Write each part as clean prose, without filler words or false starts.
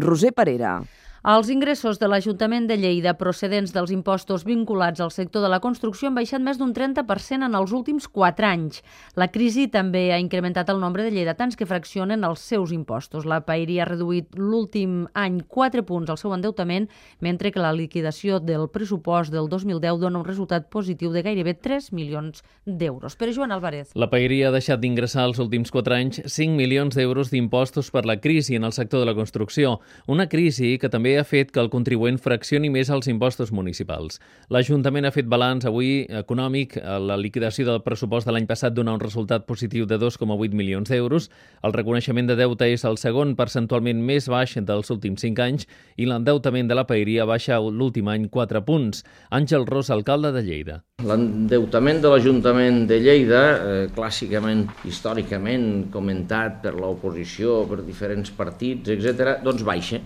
Roser Parera. Els ingressos de l'Ajuntament de Lleida procedents dels impostos vinculats al sector de la construcció han baixat més d'un 30% en els últims 4 anys. La crisi també ha incrementat el nombre de lleidatans que fraccionen els seus impostos. La Paeria ha reduït l'últim any 4 punts el seu endeutament, mentre que la liquidació del pressupost del 2010 dona un resultat positiu de gairebé 3 milions d'euros. Però Joan Álvarez. La Paeria ha deixat d'ingressar els últims 4 anys 5 milions d'euros d'impostos per la crisi en el sector de la construcció. Una crisi que també ha fet que el contribuent fraccioni més els impostos municipals. L'Ajuntament ha fet balanç avui econòmic. La liquidació del pressupost de l'any passat dona un resultat positiu de 2,8 milions d'euros. El reconeixement de deute és el segon percentualment més baix dels últims 5 anys i l'endeutament de la Paeria baixa l'últim any 4 punts. Àngel Ros, alcalde de Lleida. L'endeutament de l'Ajuntament de Lleida, clàssicament, històricament comentat per l'oposició, per diferents partits, etc., doncs baixa.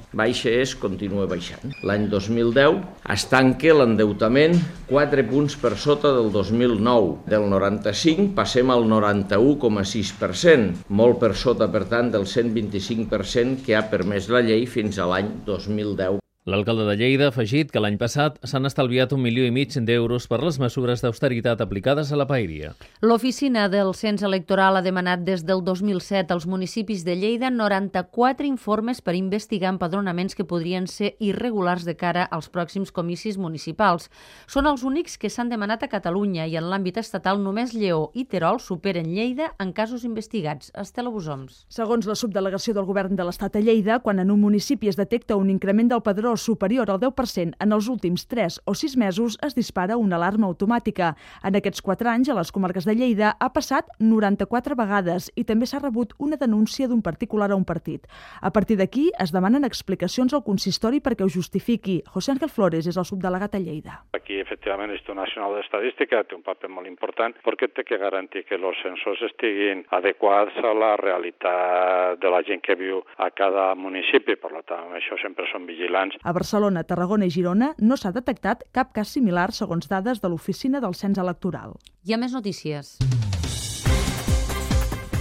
Continua baixant. L'any 2010 es tanca l'endeutament 4 punts per sota del 2009. Del 95 passem al 91,6%, molt per sota, per tant, del 125% que ha permès la llei fins a l'any 2010. L'alcalde de Lleida ha afegit que l'any passat s'han estalviat 1,5 milions d'euros per les mesures d'austeritat aplicades a la Paeria. L'oficina del Cens Electoral ha demanat des del 2007 als municipis de Lleida 94 informes per investigar empadronaments que podrien ser irregulars de cara als pròxims comicis municipals. Són els únics que s'han demanat a Catalunya i en l'àmbit estatal només Lleó i Terol superen Lleida en casos investigats. Estela Busoms. Segons la subdelegació del Govern de l'Estat a Lleida, quan en un municipi es detecta un increment del padró superior al 10% en els últims 3 o 6 mesos, es dispara una alarma automàtica. En aquests 4 anys, a les comarques de Lleida ha passat 94 vegades i també s'ha rebut una denúncia d'un particular a un partit. A partir d'aquí, es demanen explicacions al consistori perquè ho justifiqui. José Ángel Flores és el subdelegat a Lleida. Aquí, efectivament, l'Institut Nacional d'Estadística té un paper molt important perquè té que garantir que els censos estiguin adequats a la realitat de la gent que viu a cada municipi. Per tant, això sempre són vigilants. A Barcelona, Tarragona i Girona no s'ha detectat cap cas similar segons dades de l'Oficina del Cens Electoral. Hi ha més notícies.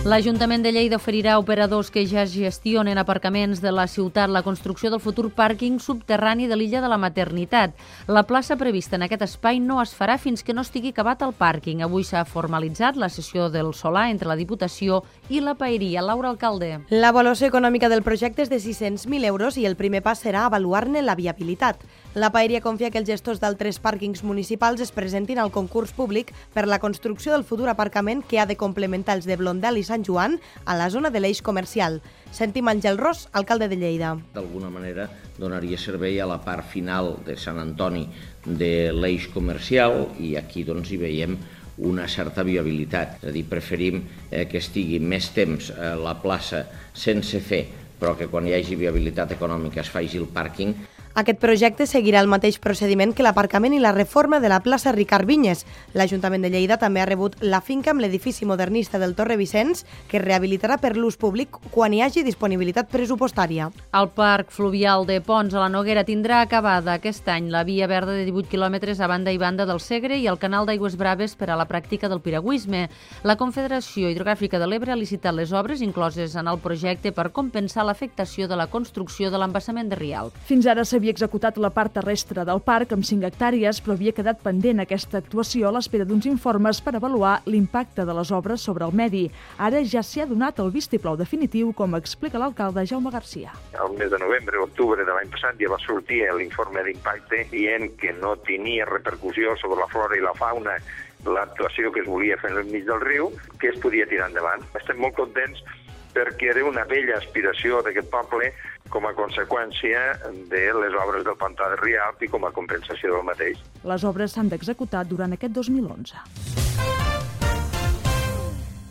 L'Ajuntament de Lleida oferirà a operadors que ja gestionen aparcaments de la ciutat la construcció del futur pàrquing subterrani de l'illa de la Maternitat. La plaça prevista en aquest espai no es farà fins que no estigui acabat el pàrquing. Avui s'ha formalitzat la sessió del solar entre la Diputació i la Paeria. Laura Alcalde. L'avaluació econòmica del projecte és de 600.000 euros i el primer pas serà avaluar-ne la viabilitat. La Paeria confia que els gestors d'altres pàrquings municipals es presentin al concurs públic per la construcció del futur aparcament que ha de complementar els de Blondel i Sant Joan a la zona de l'eix comercial. Sentim Àngel Ros, alcalde de Lleida. D'alguna manera donaria servei a la part final de Sant Antoni de l'eix comercial i aquí doncs hi veiem una certa viabilitat. És a dir, preferim que estigui més temps a la plaça sense fer, però que quan hi hagi viabilitat econòmica es faci el pàrquing. Aquest projecte seguirà el mateix procediment que l'aparcament i la reforma de la plaça Ricard Vinyes. L'Ajuntament de Lleida també ha rebut la finca amb l'edifici modernista del Torre Vicenç, que es rehabilitarà per l'ús públic quan hi hagi disponibilitat pressupostària. El Parc Fluvial de Ponts a la Noguera tindrà acabada aquest any la via verda de 18 quilòmetres a banda i banda del Segre i el canal d'Aigües Braves per a la pràctica del piragüisme. La Confederació Hidrogràfica de l'Ebre ha licitat les obres incloses en el projecte per compensar l'afectació de la construcció de l'embassament de Rialp. Fins ara s'havia executat la part terrestre del parc amb 5 hectàrees, però havia quedat pendent aquesta actuació a l'espera d'uns informes per avaluar l'impacte de les obres sobre el medi. Ara ja s'hi ha donat el vistiplau definitiu, com explica l'alcalde Jaume Garcia. Al mes de novembre o octubre de l'any passat ja va sortir l'informe d'impacte dient que no tenia repercussió sobre la flora i la fauna l'actuació que es volia fer al mig del riu, que es podia tirar endavant. Estem molt contents perquè era una vella aspiració d'aquest poble com a conseqüència de les obres del pantà de Rialp i com a compensació del mateix. Les obres s'han d'executar durant aquest 2011.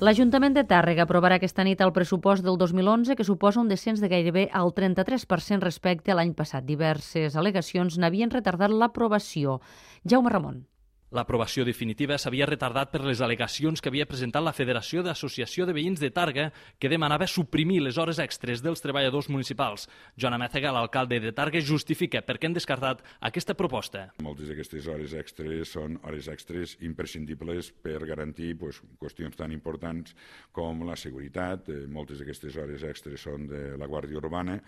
L'Ajuntament de Tàrrega aprovarà aquesta nit el pressupost del 2011, que suposa un descens de gairebé el 33% respecte a l'any passat. Diverses al·legacions n'havien retardat l'aprovació. Jaume Ramon. L'aprovació definitiva s'havia retardat per les al·legacions que havia presentat la Federació d'Associació de Veïns de Tàrrega, que demanava suprimir les hores extres dels treballadors municipals. Joan Amézega, l'alcalde de Tàrrega, justifica per què han descartat aquesta proposta. Moltes d'aquestes hores extres són hores extres imprescindibles per garantir qüestions tan importants com la seguretat. Moltes d'aquestes hores extres són de la Guàrdia Urbana,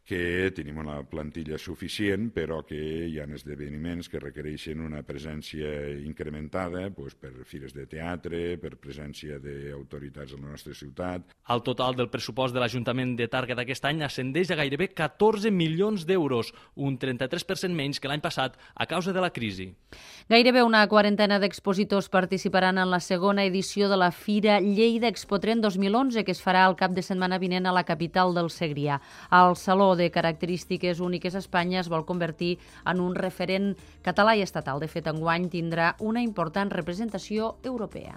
que tenim una plantilla suficient, però que hi ha esdeveniments que requereixen una presència incrementada per fires de teatre, per presència d'autoritats a la nostra ciutat. El total del pressupost de l'Ajuntament de Tàrrega d'aquest any ascendeix a gairebé 14 milions d'euros, un 33% menys que l'any passat a causa de la crisi. Gairebé una quarantena d'expositors participaran en la segona edició de la Fira Lleida Expotrend 2011, que es farà el cap de setmana vinent a la capital del Segrià. El Saló de característiques úniques a Espanya es vol convertir en un referent català i estatal. De fet, enguany tindrà una important representació europea.